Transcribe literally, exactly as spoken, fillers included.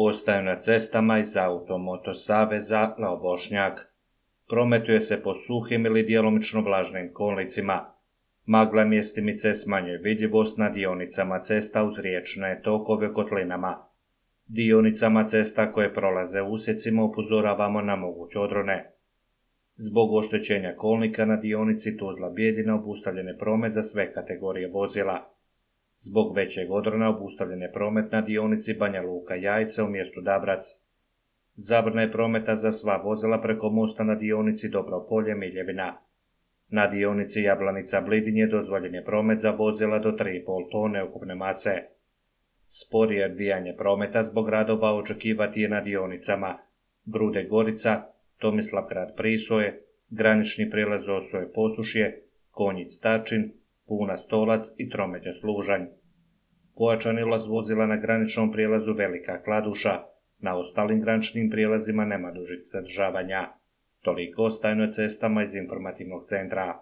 ostaju na cestama iz Automoto saveza Lao Bošnjak. Prometuje se po suhim ili djelomično vlažnim kolnicima. Magla mjestimice smanjuje vidljivost na dionicama cesta uz riječne tokove kotlinama. Dionicama cesta koje prolaze usjecima upozoravamo na moguće odrone. Zbog oštećenja kolnika na dionici Tuzla-Bijeljina obustavljen je promet za sve kategorije vozila. Zbog većeg odrona obustavljen je promet na dionici Banja Luka-Jajce u mjestu Dabrac. Zabrana je prometa za sva vozila preko mosta na dionici Dobro Polje-Miljevina. Na dionici Jablanica-Blidinje dozvoljen je promet za vozila do tri i pol tone ukupne mase. Sporije odvijanje prometa zbog radova očekivati je na dionicama Grude-Gorica, Tomislavgrad-Prisoje, granični prijelaz Osoje-Posušje, Konjic-Tačin, Puna-Stolac i Tromeđa-Služanj. Pojačani ulaz vozila na graničnom prijelazu Velika Kladuša, na ostalim graničnim prijelazima nema dužih zadržavanja. Toliko o stajnoj cestama iz informativnog centra.